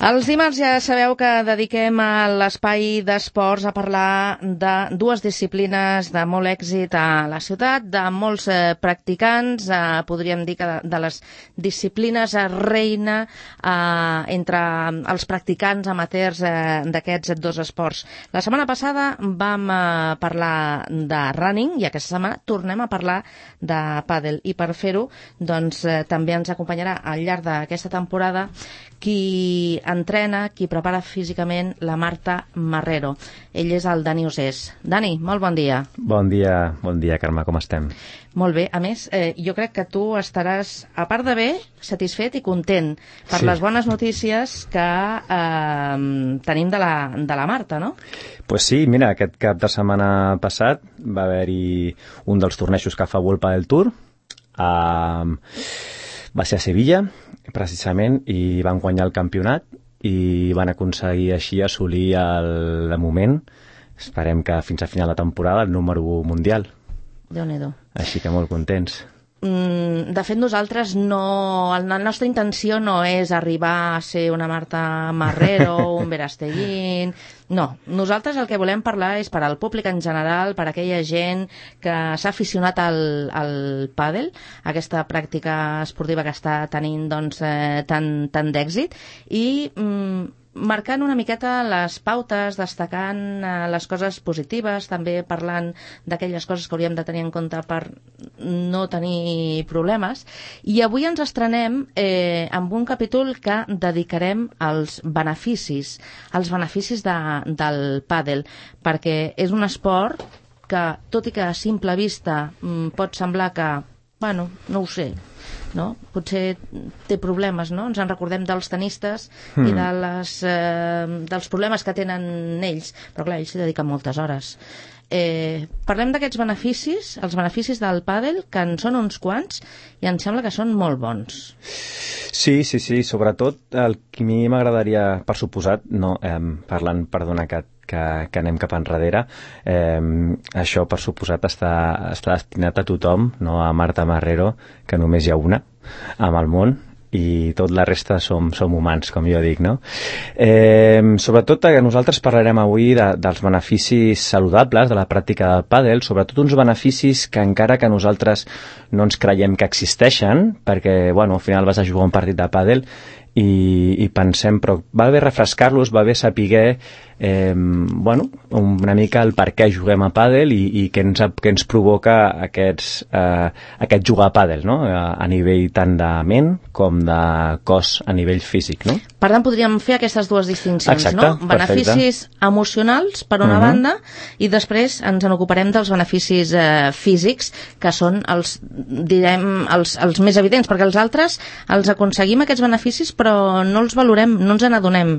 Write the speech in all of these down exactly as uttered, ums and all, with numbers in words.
Els dimarts ja sabeu que dediquem a l'espai d'esports a parlar de dues disciplines de molt èxit a la ciutat, de molts eh, practicants, eh, podríem dir que de, de les disciplines eh, reina eh, entre els practicants amateurs eh, d'aquests dos esports. La setmana passada vam eh, parlar de running i aquesta setmana tornem a parlar de pàdel i per fer-ho doncs, eh, també ens acompanyarà al llarg d'aquesta temporada qui entrena, qui prepara físicament la Marta Marrero. Ell és el Dani Usés. Dani, molt bon dia. Bon dia, bon dia, Carme, com estem? Molt bé. A més, eh, jo crec que tu estaràs, a part de bé, satisfet i content per sí. les bones notícies que eh, tenim de la, de la Marta, no? Pues sí, mira, aquest cap de setmana passat va haver-hi un dels tornejos que fa World Padel Tour. Uh, va ser a Sevilla, precisament, i van guanyar el campionat i van aconseguir així assolir el, de moment, esperem que fins a final de temporada, el número un mundial. Déu-n'hi-do. Així que molt contents. Mm, de fet, nosaltres no... La nostra intenció no és arribar a ser una Marta Marrero, un Verasteguín... No, nosaltres el que volem parlar és per al públic en general, per a aquella gent que s'ha aficionat al, al pàdel, aquesta pràctica esportiva que està tenint doncs, eh, tant, tant d'èxit, i mm, marcant una miqueta les pautes, destacant eh, les coses positives, també parlant d'aquelles coses que hauríem de tenir en compte per no tenir problemes. I avui ens estrenem eh, amb un capítol que dedicarem als beneficis, als beneficis de del pàdel, perquè és un esport que, tot i que a simple vista mm, pot semblar que, bueno, no ho sé, no? Potser té problemes, no? Ens en recordem dels tenistes mm. i de les, eh, dels problemes que tenen ells, però clar, ells s'hi dediquen moltes hores. Eh, parlem d'aquests beneficis, els beneficis del pàdel, que en són uns quants i em sembla que són molt bons. Sí, sí, sí, sobretot el que a mi m'agradaria, per suposat, no, eh, parlant, perdona que, que, que anem cap enrere, eh, això per suposat està, està destinat a tothom, no a Marta Marrero, que només hi ha una amb el món, i tot la resta som, som humans, com jo dic, no? Eh, sobretot que nosaltres parlarem avui de, dels beneficis saludables de la pràctica del pàdel, sobretot uns beneficis que encara que nosaltres no ens creiem que existeixen, perquè, bueno, al final vas a jugar un partit de pàdel i, i pensem, però va bé refrescar-los, va bé saber eh, bueno, una mica el per què juguem a pàdel i, i què ens, què ens provoca aquests, eh, aquest jugar a pàdel, no? A, a nivell tant de ment com de cos a nivell físic, no? Per tant, podríem fer aquestes dues distincions, exacte, no? Beneficis perfecte. Emocionals, per una uh-huh. banda, i després ens en ocuparem dels beneficis eh, físics, que són els, direm, els, els més evidents, perquè els altres els aconseguim aquests beneficis, però no els valorem, no ens n'adonem.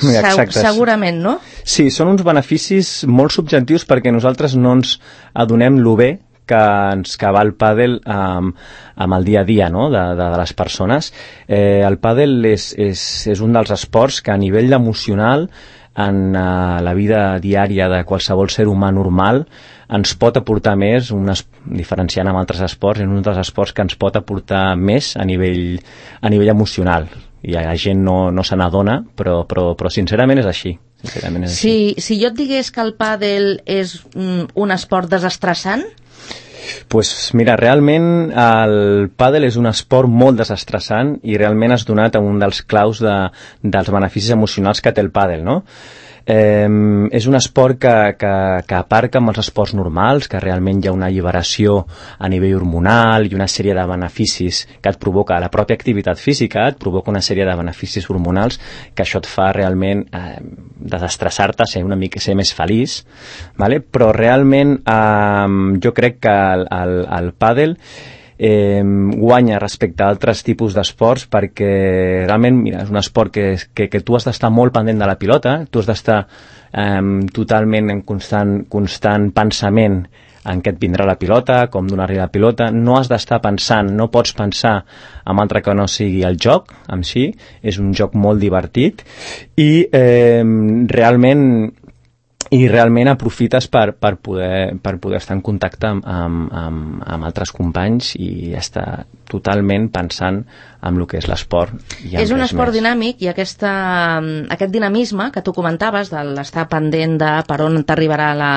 Se- segurament, no? Sí, són uns beneficis molt subjectius perquè nosaltres no ens adonem lo bé que ens que va el pàdel amb, amb el dia a dia, no? de, de, de les persones. Eh, el pàdel és, és, és un dels esports que a nivell emocional en uh, la vida diària de qualsevol ser humà normal ens pot aportar més, unes, diferenciant amb altres esports, és un dels esports que ens pot aportar més a nivell, a nivell emocional. I la gent no, no se n'adona, però, però, però sincerament és així. Sincerament és si, així. Si jo et digués que el pàdel és mm, un esport desestressant? Pues mira, realment el pàdel és un esport molt desestressant i realment has donat a un dels claus de, dels beneficis emocionals que té el pàdel, no? Eh, és un esport que, que, que aparca amb els esports normals, que realment hi ha una alliberació a nivell hormonal i una sèrie de beneficis que et provoca la pròpia activitat física, et provoca una sèrie de beneficis hormonals que això et fa realment eh, desestressar-te, ser una mica ser més feliç, vale? Però realment eh, jo crec que el, el, el pàdel Eh, guanya respecte a altres tipus d'esports perquè realment, mira, és un esport que, que, que tu has d'estar molt pendent de la pilota, tu has d'estar eh, totalment en constant, constant pensament en què et vindrà la pilota, com donar-li la pilota, no has d'estar pensant, no pots pensar en altre que no sigui el joc en si, és un joc molt divertit i eh, realment i realment aprofites per, per, poder, per poder estar en contacte amb, amb, amb, amb altres companys i estar totalment pensant en el que és l'esport. És un esport més dinàmic i aquesta, aquest dinamisme que tu comentaves de l'estar pendent de per on t'arribarà la,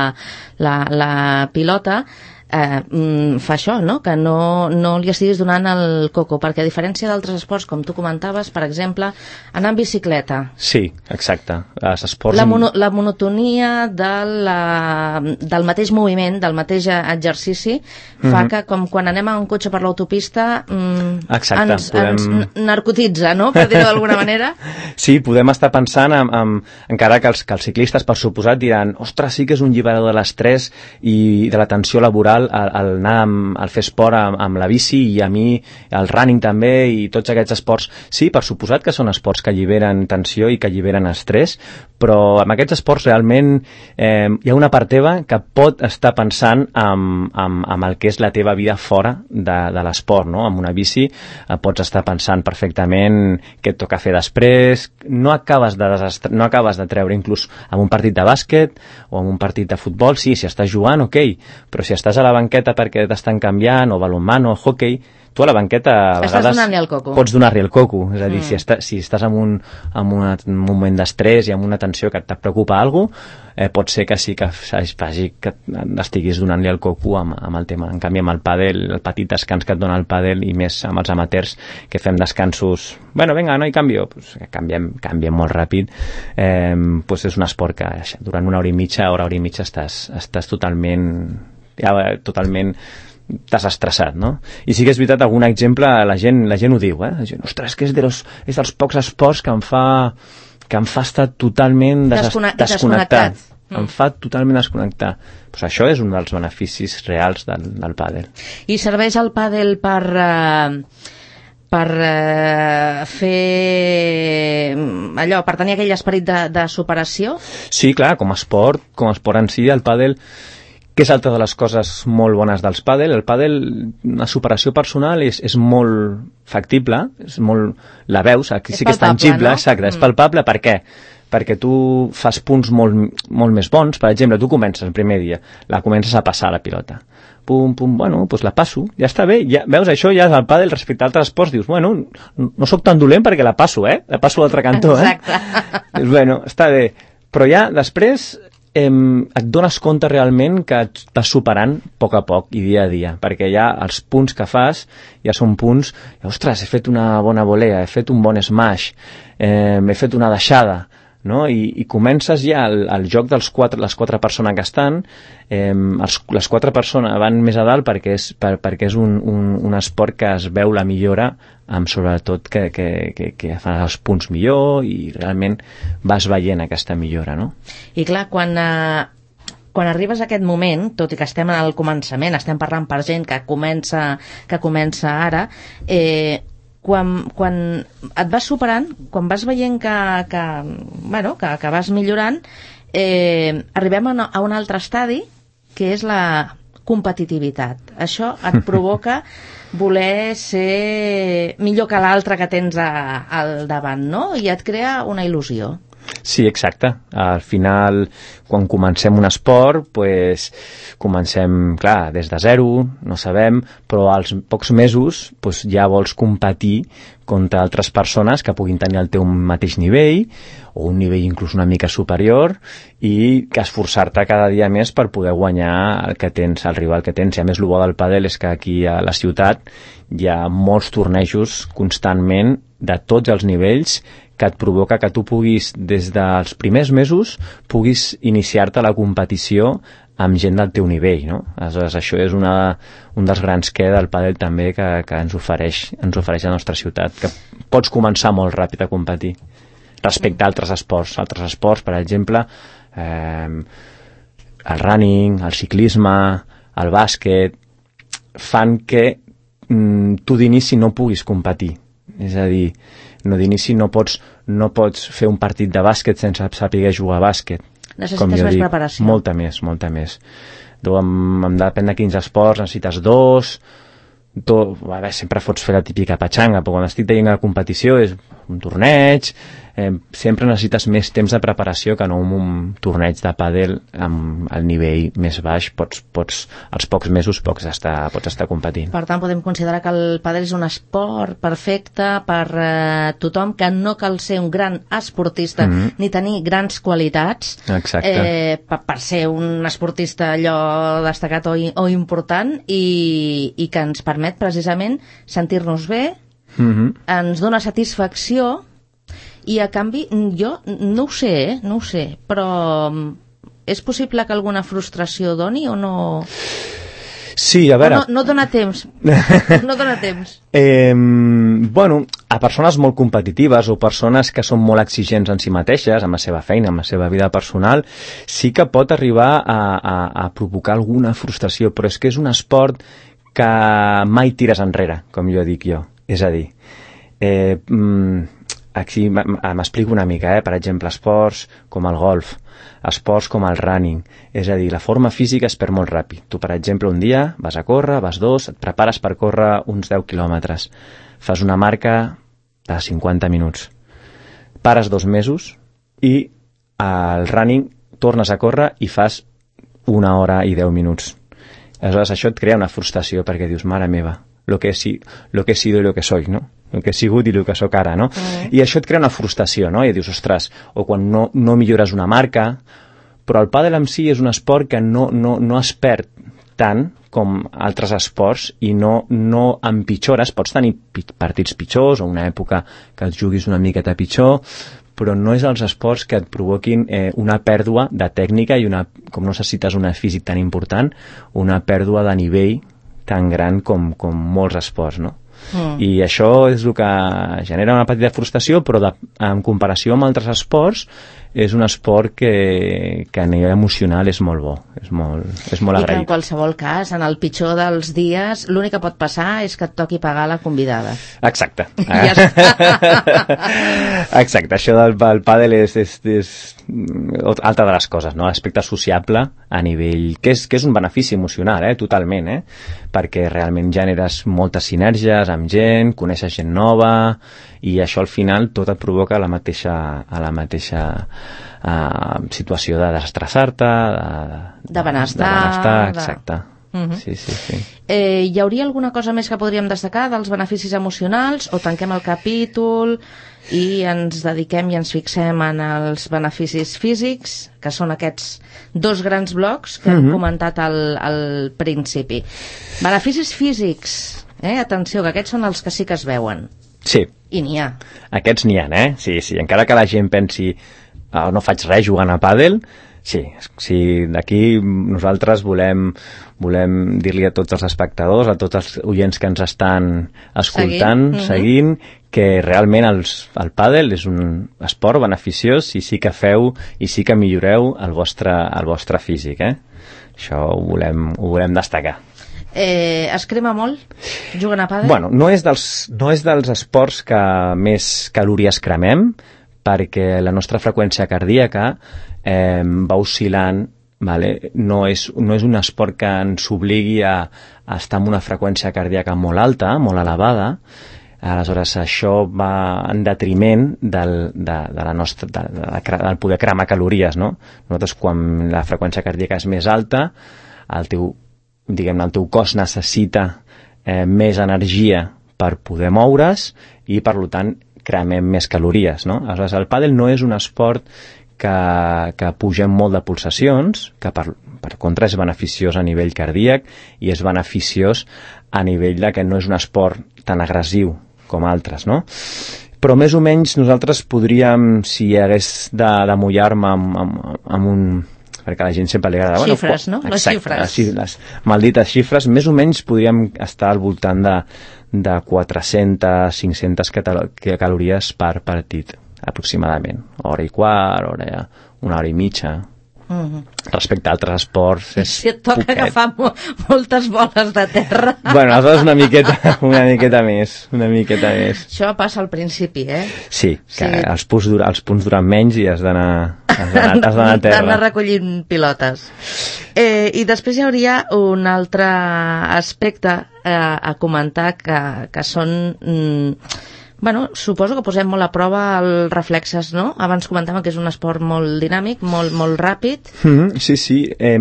la, la pilota eh, fa això, no? Que no, no li estiguis donant el coco, perquè a diferència d'altres esports, com tu comentaves, per exemple, anar en bicicleta. Sí, exacte. Els esports... La, mono, la monotonia de la, del mateix moviment, del mateix exercici, fa mm-hmm. que com quan anem a un cotxe per l'autopista mm, exacte, ens, podem... ens narcotitza, no? Per dir-ho d'alguna manera. Sí, podem estar pensant en, en, encara que els, que els ciclistes, per suposat, diran ostres, sí que és un lliberador de l'estrès i de la tensió laboral el, el anar amb, el fer esport amb, amb la bici i a mi el running també i tots aquests esports, sí, per suposat que són esports que alliberen tensió i que alliberen estrès, però amb aquests esports realment eh, hi ha una part teva que pot estar pensant en, en, en el que és la teva vida fora de, de l'esport, no? Amb una bici eh, pots estar pensant perfectament què et toca fer després, no acabes de desastre, no acabes de treure inclús en un partit de bàsquet o en un partit de futbol, sí, si estàs jugant, ok, però si estàs a la banqueta perquè t'estan canviant, o balonmano, o hockey, tu a la banqueta a estàs vegades donant-li el coco. Pots donar-li el coco, és a dir, mm. si, està, si estàs en un, en una, un moment d'estrès i amb una tensió que et preocupa alguna cosa, eh, pot ser que sí que faci que estiguis donant-li el coco amb, amb el tema. En canvi, amb el pàdel, el petit descans que et dona el pàdel i més amb els amateurs que fem descansos, bueno, vinga, no hi canvio, pues, canviem, canviem molt ràpid, eh, pues és un esport que durant una hora i mitja, hora, hora i mitja estàs, estàs totalment ja, totalment desestressat, no? I sí que és veritat, algun exemple, la gent, la gent ho diu, eh? La gent, ostres, que és, de los, és dels pocs esports que em fa que em fa estar totalment des Descone desconnectat. desconnectat. Em fa totalment desconnectar. Pues això és un dels beneficis reals del, del pàdel. I serveix el pàdel per... Uh... per eh, fer allò, per tenir aquell esperit de, de superació? Sí, clar, com a esport, com a esport en si, el pàdel, que és altra de les coses molt bones dels pàdel, el pàdel, la superació personal és, és molt factible, és molt, la veus, aquí és sí que és palpable, tangible, no? exacte, Mm. és palpable, per què? Perquè tu fas punts molt, molt més bons, per exemple, tu comences el primer dia, la comences a passar la pilota, pum, pum, bueno, doncs la passo, ja està bé, ja, veus, això ja és el pàdel respecte a altres esports, dius, bueno, no sóc tan dolent perquè la passo, eh? La passo a l'altre cantó, eh? Exacte. Dius, bueno, està bé, però ja després eh, et dones compte realment que et vas superant a poc a poc i dia a dia, perquè ja els punts que fas ja són punts, ostres, he fet una bona volea, he fet un bon smash, eh, he fet una deixada, no? I, i comences ja el, el joc dels quatre, les quatre persones que estan, eh, els, les quatre persones van més a dalt perquè és, per, perquè és un, un, un esport que es veu la millora, amb sobretot que, que, que, que fan els punts millor i realment vas veient aquesta millora, no? I clar, quan... Eh... Quan arribes a aquest moment, tot i que estem al començament, estem parlant per gent que comença, que comença ara, eh, quan, quan et vas superant, quan vas veient que, que, bueno, que, que vas millorant, eh, arribem a, no, a un altre estadi, que és la competitivitat. Això et provoca voler ser millor que l'altre que tens a, al davant, no? I et crea una il·lusió. Sí, exacte. Al final, quan comencem un esport, pues, comencem, clar, des de zero, no sabem, però als pocs mesos pues, ja vols competir contra altres persones que puguin tenir el teu mateix nivell, o un nivell inclús una mica superior, i que esforçar-te cada dia més per poder guanyar el que tens, el rival que tens. I a més, el bo del pàdel és que aquí a la ciutat hi ha molts tornejos constantment de tots els nivells que et provoca que tu puguis, des dels primers mesos, puguis iniciar-te la competició amb gent del teu nivell, no? Aleshores, això és una, un dels grans que del pàdel també que, que ens ofereix, ens ofereix la nostra ciutat, que pots començar molt ràpid a competir respecte a altres esports. Altres esports, per exemple, eh, el running, el ciclisme, el bàsquet, fan que mm, tu d'inici no puguis competir. És a dir, no d'inici no pots, no pots fer un partit de bàsquet sense saber jugar a bàsquet. Necessites més dic, preparació. Molta més, molta més. Tu, em, em depèn de quins esports, necessites dos, do, a veure, sempre pots fer la típica patxanga, però quan estic veient la competició és un torneig, eh, sempre necessites més temps de preparació que no un, un torneig de pàdel amb el nivell més baix, pots, pots als pocs mesos pots estar, pots estar competint. Per tant, podem considerar que el pàdel és un esport perfecte per eh, tothom, que no cal ser un gran esportista mm-hmm. ni tenir grans qualitats eh, per, per ser un esportista allò destacat o, o important i, i que ens permet precisament sentir-nos bé, mm-hmm. ens dona satisfacció i a canvi jo no ho sé, eh? no ho sé, però és possible que alguna frustració doni o no? Sí, a veure... No, no dona temps. No dona temps. eh, bueno, a persones molt competitives o persones que són molt exigents en si mateixes, amb la seva feina, amb la seva vida personal, sí que pot arribar a, a, a provocar alguna frustració, però és que és un esport que mai tires enrere, com jo dic jo. És a dir, eh, aquí m'explico una mica, eh? Per exemple, esports com el golf, esports com el running, és a dir, la forma física es perd molt ràpid. Tu, per exemple, un dia vas a córrer, vas dos, et prepares per córrer uns deu quilòmetres, fas una marca de cinquanta minuts, pares dos mesos i al running tornes a córrer i fas una hora i deu minuts. Aleshores, això et crea una frustració perquè dius, mare meva, lo que he, si, lo que he sido i lo que soy, no? El que he sigut i el que sóc ara, no? Mm. I això et crea una frustració, no? I dius, ostres, o quan no, no millores una marca, però el pàdel en si és un esport que no, no, no es perd tant com altres esports i no, no empitjores. Pots tenir partits pitjors o una època que et juguis una miqueta pitjor, però no és els esports que et provoquin eh, una pèrdua de tècnica i una, com no necessites un físic tan important, una pèrdua de nivell tan gran com, com molts esports, no? Mm. I això és el que genera una petita frustració, però de, en comparació amb altres esports és un esport que, que a nivell emocional és molt bo, és molt, és molt agraït. I que en qualsevol cas, en el pitjor dels dies, l'únic que pot passar és que et toqui pagar la convidada. Exacte. Ja Exacte, això del, del pàdel és, és, és altra de les coses, no? L'aspecte sociable a nivell... que és, que és un benefici emocional, eh? Totalment, eh? Perquè realment generes moltes sinergies amb gent, coneixes gent nova i això al final tot et provoca la mateixa, a la mateixa uh, situació de desestressar-te, de, de, de benestar, de benestar, exacte. De... Uh-huh. Sí, sí, sí. Eh, hi hauria alguna cosa més que podríem destacar dels beneficis emocionals o tanquem el capítol i ens dediquem i ens fixem en els beneficis físics, que són aquests dos grans blocs que uh-huh. hem comentat al, al principi. Beneficis físics, eh? Atenció, que aquests són els que sí que es veuen. Sí. I n'hi ha. Aquests n'hi ha, eh? Sí, sí. Encara que la gent pensi oh, no faig res jugant a pàdel, sí, sí, d'aquí nosaltres volem, volem dir-li a tots els espectadors, a tots els oients que ens estan escoltant, seguint, seguint que realment els, el pàdel és un esport beneficiós i sí que feu i sí que milloreu el vostre, el vostre físic, eh? Això ho volem, ho volem destacar. Eh, es crema molt jugant a pàdel? Bueno, no és dels, no és dels esports que més calories cremem, perquè la nostra freqüència cardíaca eh, va oscil·lant, vale? no, és, no és un esport que ens obligui a, a estar amb una freqüència cardíaca molt alta, molt elevada. Aleshores això va en detriment del, de, de la nostra, de, de, de, del poder cremar calories, no? Nosaltres quan la freqüència cardíaca és més alta, el teu diguem-ne, el teu cos necessita eh, més energia per poder moure's i, per tant, cremem més calories, no? Aleshores, el pàdel no és un esport que, que pugem molt de pulsacions, que per, per contra és beneficiós a nivell cardíac i és beneficiós a nivell de que no és un esport tan agressiu com altres, no? Però més o menys nosaltres podríem, si hagués de, de mullar-me amb, amb, amb un... perquè a la gent sempre li agrada... Xifres, bueno, no? Exacte, les xifres. Les, les maldites xifres, més o menys podríem estar al voltant de, de quatre-centes, cinc-centes calories per partit, aproximadament. Hora i quart, hora, una hora i mitja. Uh-huh. Respecte a altres esports... És si et toca poquet. agafar mo moltes boles de terra... Bueno, aleshores una miqueta, una miqueta més, una miqueta més. Això passa al principi, eh? Sí, que Sí. els punts, dura, els punts duran menys i has d'anar has d'anar has d'anar a terra. D'anar recollint pilotes. Eh, I després hi hauria un altre aspecte eh, a comentar que, que són... Mm, bueno, suposo que posem molt a prova els reflexes, no? Abans comentàvem que és un esport molt dinàmic, molt, molt ràpid. Mm-hmm, sí, sí. Eh,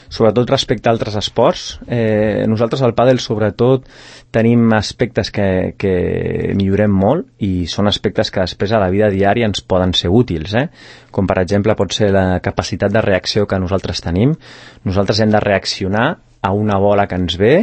sobretot respecte a altres esports. Eh, nosaltres al pàdel, sobretot, tenim aspectes que, que millorem molt i són aspectes que després a la vida diària ens poden ser útils, eh? Com per exemple pot ser la capacitat de reacció que nosaltres tenim. Nosaltres hem de reaccionar a una bola que ens ve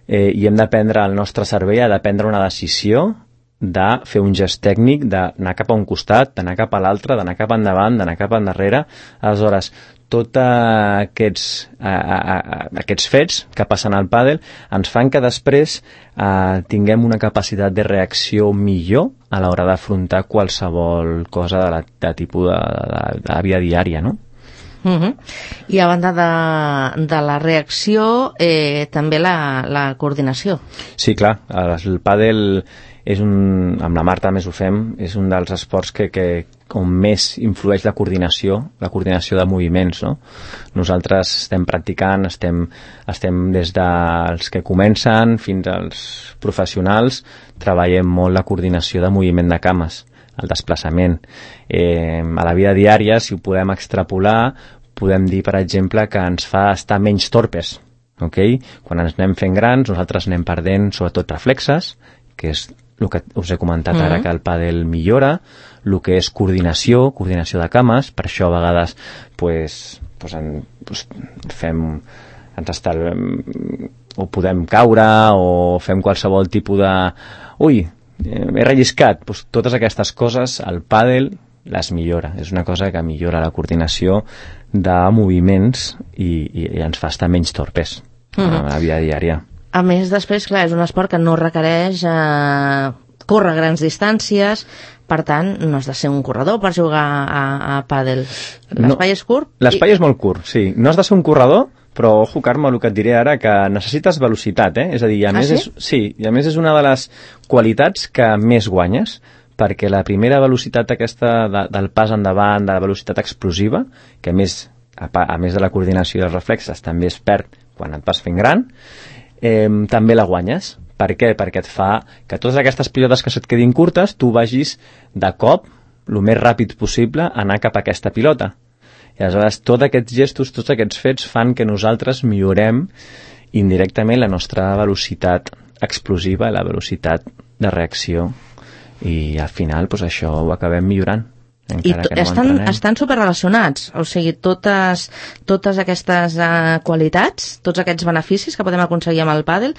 eh, i hem de prendre, el nostre cervell ha de prendre una decisió de fer un gest tècnic, d'anar cap a un costat, d'anar cap a l'altre, d'anar cap endavant, d'anar cap endarrere. Aleshores, tots aquests, a, a, a, aquests fets que passen al pàdel ens fan que després eh, tinguem una capacitat de reacció millor a l'hora d'afrontar qualsevol cosa de, la, de tipus de, de, de la vida diària, no? Uh-huh. I a banda de, de la reacció, eh, també la, la coordinació. Sí, clar, el pàdel és un, amb la Marta més ho fem, és un dels esports que, que on més influeix la coordinació, la coordinació de moviments, no? Nosaltres estem practicant, estem, estem des dels que comencen fins als professionals, treballem molt la coordinació de moviment de cames, el desplaçament. Eh, a la vida diària, si ho podem extrapolar, podem dir, per exemple, que ens fa estar menys torpes. Okay? Quan ens anem fent grans, nosaltres anem perdent sobretot reflexes, que és el que us he comentat ara, mm-hmm. que el pàdel millora, el que és coordinació, coordinació de cames, per això a vegades pues, pues, en, pues, fem ens estal... o podem caure o fem qualsevol tipus de... Ui, he relliscat. Pues, totes aquestes coses, el pàdel les millora. És una cosa que millora la coordinació de moviments i, i, i ens fa estar menys torpes mm-hmm. a la vida diària. A més, després, clar, és un esport que no requereix eh, córrer grans distàncies, per tant, no has de ser un corredor per jugar a, a pàdel. L'espai no, és curt? L'espai i... és molt curt, sí. No has de ser un corredor, però, ojo, Carme, el que et diré ara, que necessites velocitat, eh? És a dir, a ah, més sí? És, sí, i a més és una de les qualitats que més guanyes, perquè la primera velocitat aquesta de, del pas endavant, de la velocitat explosiva, que a més, a, a més de la coordinació dels reflexes, també es perd quan et vas fent gran, Eh, també la guanyes. Per què? Perquè et fa que totes aquestes pilotes que se't quedin curtes tu vagis de cop el més ràpid possible a anar cap a aquesta pilota. I aleshores tots aquests gestos, tots aquests fets fan que nosaltres millorem indirectament la nostra velocitat explosiva i la velocitat de reacció i al final doncs, això ho acabem millorant. I no estan, estan superrelacionats, o sigui, totes, totes aquestes uh, qualitats, tots aquests beneficis que podem aconseguir amb el pàdel,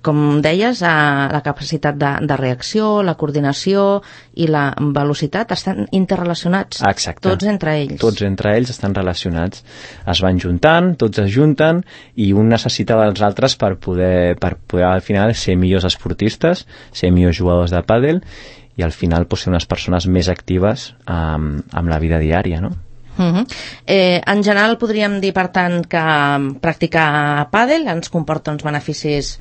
com deies, uh, la capacitat de, de reacció, la coordinació i la velocitat estan interrelacionats. Exacte. Tots entre ells. Tots entre ells estan relacionats. Es van juntant, tots es junten i un necessita dels altres per poder, per poder al final ser millors esportistes, ser millors jugadors de pàdel i al final pues, ser unes persones més actives amb, amb la vida diària, no? Uh-huh. eh, en general podríem dir, per tant, que practicar pàdel ens comporta uns beneficis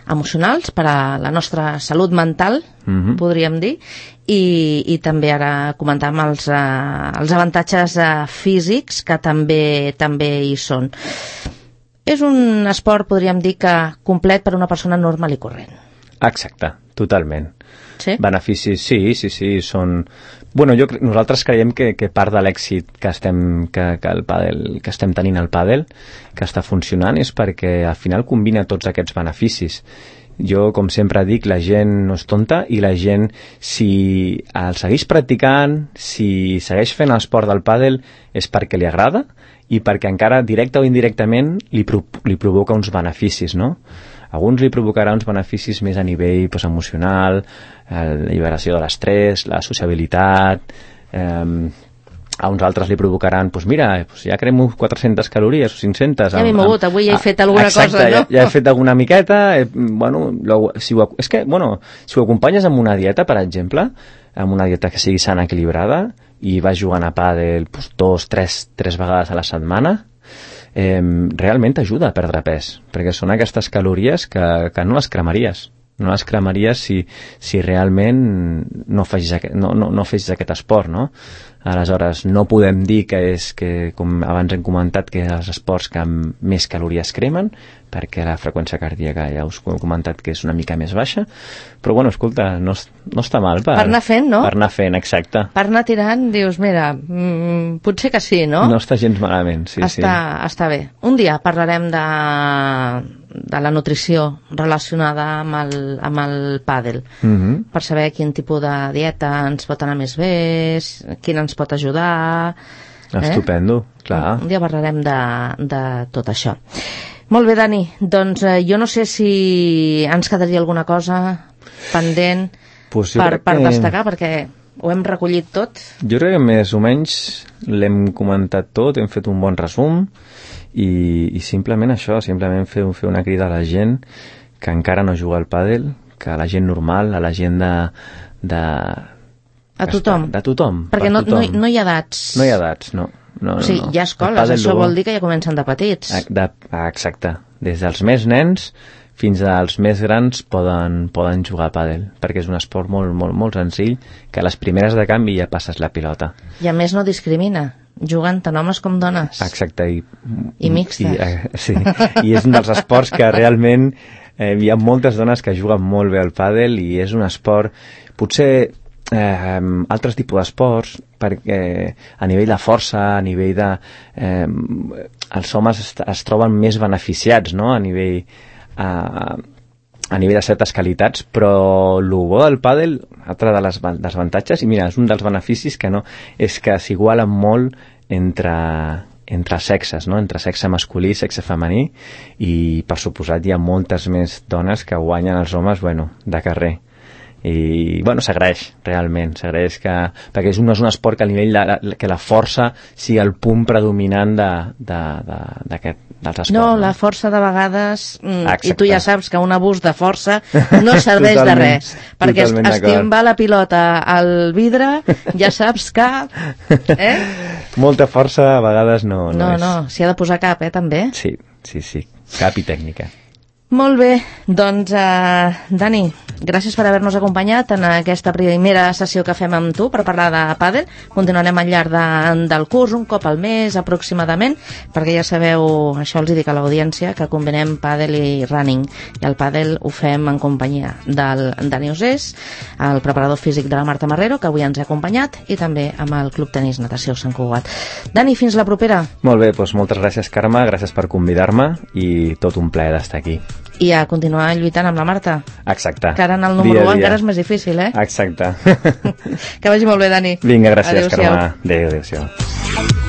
emocionals per a la nostra salut mental, uh-huh. podríem dir, i, i també ara comentàvem els, uh, els avantatges uh, físics que també, també hi són. És un esport, podríem dir, que complet per a una persona normal i corrent. Exacte, totalment. Sí? Beneficis, sí, sí, sí, són... Bueno, jo, nosaltres creiem que, que part de l'èxit que estem, que, que, el pàdel, que estem tenint al pàdel, que està funcionant, és perquè al final combina tots aquests beneficis. Jo, com sempre dic, la gent no és tonta i la gent, si el segueix practicant, si segueix fent l'esport del pàdel, és perquè li agrada i perquè encara, directe o indirectament, li, pro li provoca uns beneficis, no? Alguns li provocarà uns beneficis més a nivell pues, emocional, la lliberació de l'estrès, la sociabilitat, eh, a uns altres li provocaran, doncs mira, pues ja cremo quatre-centes calories o cinc-centes. Ja m'he mogut, avui ja he fet alguna exacte, cosa, no? Ja, ja he fet alguna miqueta, eh, bueno, lo, si ho, és que, bueno, si ho acompanyes amb una dieta, per exemple, amb una dieta que sigui sana, equilibrada, i vas jugant a pàdel pues, dos, tres, tres vegades a la setmana, eh, realment t'ajuda a perdre pes, perquè són aquestes calories que, que no les cremaries. No les cremaries si, si realment no fes, no, no, no fes aquest esport, no? Aleshores, no podem dir que és que, com abans hem comentat, que els esports que més calories cremen, perquè la freqüència cardíaca ja us he comentat que és una mica més baixa, però bueno, escolta, no, no està mal per, per anar fent, no? Per anar fent, exacte. Per anar tirant, dius, mira, mm, potser que sí, no? No està gens malament, sí, està, sí. Està bé. Un dia parlarem de, de la nutrició relacionada amb el, amb el pàdel, Mm-hmm. per saber quin tipus de dieta ens pot anar més bé, quin ens pot ajudar. Estupendo, eh? clar. Un dia parlarem de, de tot això. Molt bé, Dani, doncs eh, jo no sé si ens quedaria alguna cosa pendent pues per, per que... destacar, perquè ho hem recollit tot. Jo crec que més o menys l'hem comentat tot, hem fet un bon resum i, i simplement això, simplement fer, fer una crida a la gent que encara no juga al pàdel, que a la gent normal, a la gent de... de a tothom. De tothom. Perquè per no, tothom. no, no hi ha edats. No hi ha edats, no. No, o sigui, no, no. hi ha escoles, això vol dir que ja comencen de petits. De, ah, exacte. Des dels més nens fins als més grans poden, poden jugar a pàdel, perquè és un esport molt, molt, molt senzill, que a les primeres de canvi ja passes la pilota. I a més no discrimina, juguen tant homes com dones. Exacte. I, I mixtes. I, eh, sí, i és un dels esports que realment eh, hi ha moltes dones que juguen molt bé al pàdel i és un esport, potser eh, altres tipus d'esports, perquè a nivell de força, a nivell de... Eh, els homes es, es troben més beneficiats, no?, a nivell... A, a nivell de certes qualitats, però el bo del pàdel, altre de les dels avantatges, i mira, és un dels beneficis que no, és que s'igualen molt entre, entre sexes, no? Entre sexe masculí i sexe femení, i per suposat hi ha moltes més dones que guanyen els homes, bueno, de carrer. I, bueno, s'agraeix, realment, s'agraeix que... perquè és un, és un esport que a nivell de, que la força sigui el punt predominant de, de, de, d'aquest, dels esports. No, no, la força de vegades, mm, i tu ja saps que un abús de força no serveix de res, perquè es, estimbar la pilota al vidre, ja saps que... Eh? Molta força a vegades no, no, no és. No, s'hi ha de posar cap, eh, també. Sí, sí, sí, cap i tècnica. Molt bé, doncs, uh, Dani, gràcies per haver-nos acompanyat en aquesta primera sessió que fem amb tu per parlar de pàdel. Continuarem al llarg de, del curs, un cop al mes aproximadament, perquè ja sabeu, això els dic a l'audiència, que combinem pàdel i running. I el pàdel ho fem en companyia del Dani Osés, el preparador físic de la Marta Marrero, que avui ens ha acompanyat, i també amb el Club Tenis Natació Sant Cugat. Dani, fins la propera. Molt bé, doncs moltes gràcies, Carme, gràcies per convidar-me i tot un plaer d'estar aquí. I a continuar lluitant amb la Marta. Exacte. Que ara en el número un encara és més difícil, eh? Exacte. Que vagi molt bé, Dani. Vinga, gràcies, Carme. Adéu, adéu-siau.